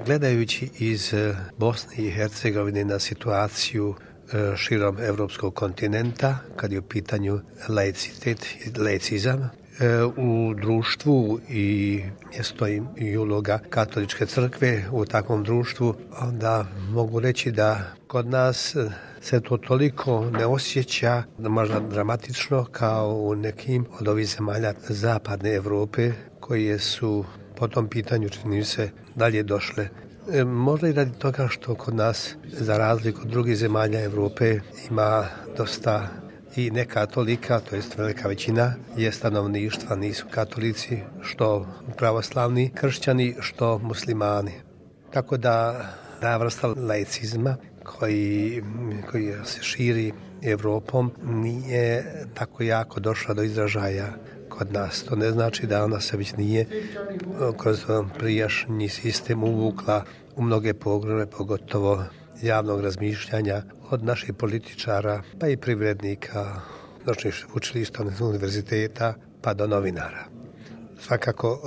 Gledajući iz Bosne i Hercegovine na situaciju širom evropskog kontinenta, kad je u pitanju laicitet i laicizam, u društvu i mjesto i uloga katoličke crkve u takvom društvu, onda mogu reći da kod nas se to toliko ne osjeća, možda dramatično, kao u nekim od ovih zemalja zapadne Europe koje su po tom pitanju, čini se, dalje došle. Možda i radi toga što kod nas, za razliku od drugih zemalja Europe, ima dosta i nekatolika, to jest velika većina je stanovništva, nisu katolici, što pravoslavni kršćani, što muslimani. Tako da ta vrsta laicizma koji se širi Europom nije tako jako došla do izražaja kod nas. To ne znači da ona se već nije kroz prijašnji sistem uvukla u mnoge poglavlje, pogotovo javnog razmišljanja od naših političara, pa i privrednika, naših učilišta, univerziteta, pa do novinara. Svakako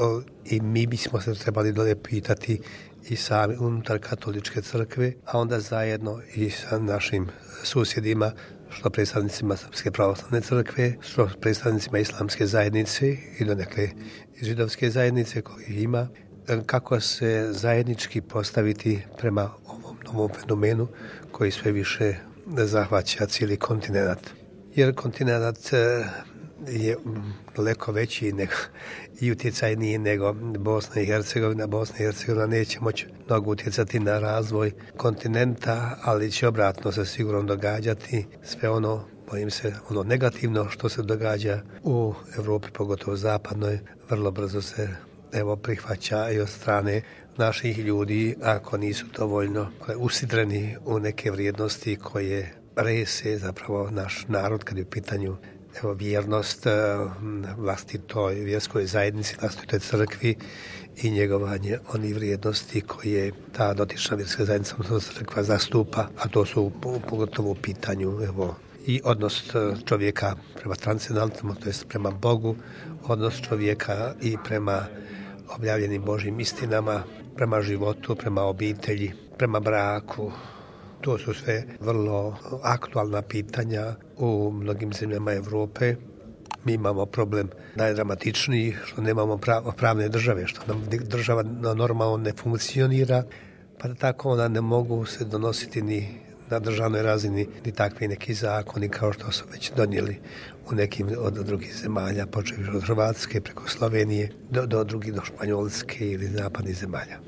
i mi bismo se trebali dolje pitati i sami unutar katoličke crkve, a onda zajedno i sa našim susjedima, što predstavnicima Srpske pravoslavne crkve, što predstavnicima islamske zajednice i donekle židovske zajednice kojih ima, kako se zajednički postaviti prema ovom novom fenomenu koji sve više zahvaća cijeli kontinent. Jer kontinent je daleko veći i utjecajniji nego Bosna i Hercegovina. Bosna i Hercegovina neće moći mnogo utjecati na razvoj kontinenta, ali će obratno se sigurno događati sve ono, bojim se, ono negativno što se događa u Europi, pogotovo zapadnoj, vrlo brzo se prihvaća i od strane naših ljudi, ako nisu dovoljno usidreni u neke vrijednosti koje rese zapravo naš narod kad je u pitanju vjernost vlastitoj vjerskoj zajednici, vlastitoj crkvi i njegovanje onih vrijednosti koje ta dotična vjerska zajednica, crkva zastupa, a to su pogotovo u pitanju i odnos čovjeka prema transcendentalnom, to jest prema Bogu, odnos čovjeka i prema objavljenim Božjim istinama, prema životu, prema obitelji, prema braku. To su sve vrlo aktualna pitanja u mnogim zemljama Europe. Mi imamo problem najdramatičniji što nemamo pravne države, što nam država normalno ne funkcionira, pa tako onda ne mogu se donositi ni na državnoj razini ni takvi neki zakoni kao što su već donijeli u nekim od drugih zemalja, počev od Hrvatske preko Slovenije do drugih, do Španjolske ili zapadnih zemalja.